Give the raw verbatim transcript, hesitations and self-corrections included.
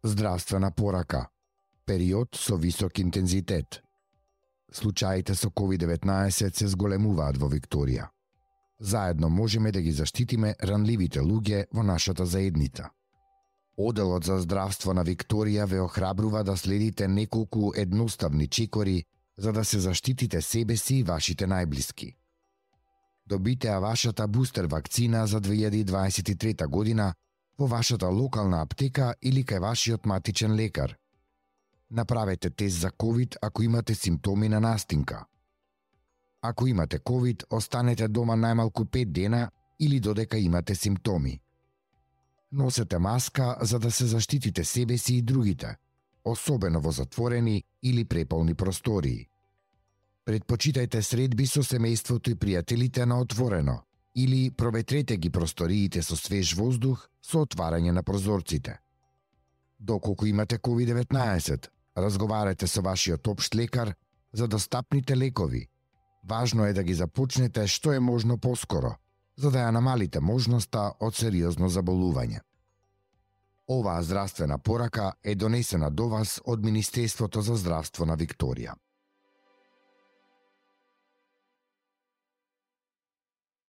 Здравствена порака. Период со висок интензитет. Случаите со ковид деветнаесет се зголемуваат во Викторија. Заедно можеме да ги заштитиме ранливите луѓе во нашата заедница. Оделот за здравство на Викторија ве охрабрува да следите неколку едноставни чекори за да се заштитите себе си и вашите најблиски. Добите ја вашата бустер вакцина за две илјади дваесет и трета година во вашата локална аптека или кај вашиот матичен лекар. Направете тест за ковид ако имате симптоми на настинка. Ако имате ковид, останете дома најмалку пет дена или додека имате симптоми. Носете маска за да се заштитите себе си и другите, особено во затворени или преполни простории. Предпочитајте средби со семејството и пријателите на отворено или проветрете ги просториите со свеж воздух со отварање на прозорците. Доколку имате ковид деветнаесет, разговарате со вашиот општ лекар за достапните лекови. Важно е да ги започнете што е можно поскоро, за да ја намалите можноста од сериозно заболување. Оваа здравствена порака е донесена до вас од Министерството за здравство на Викторија.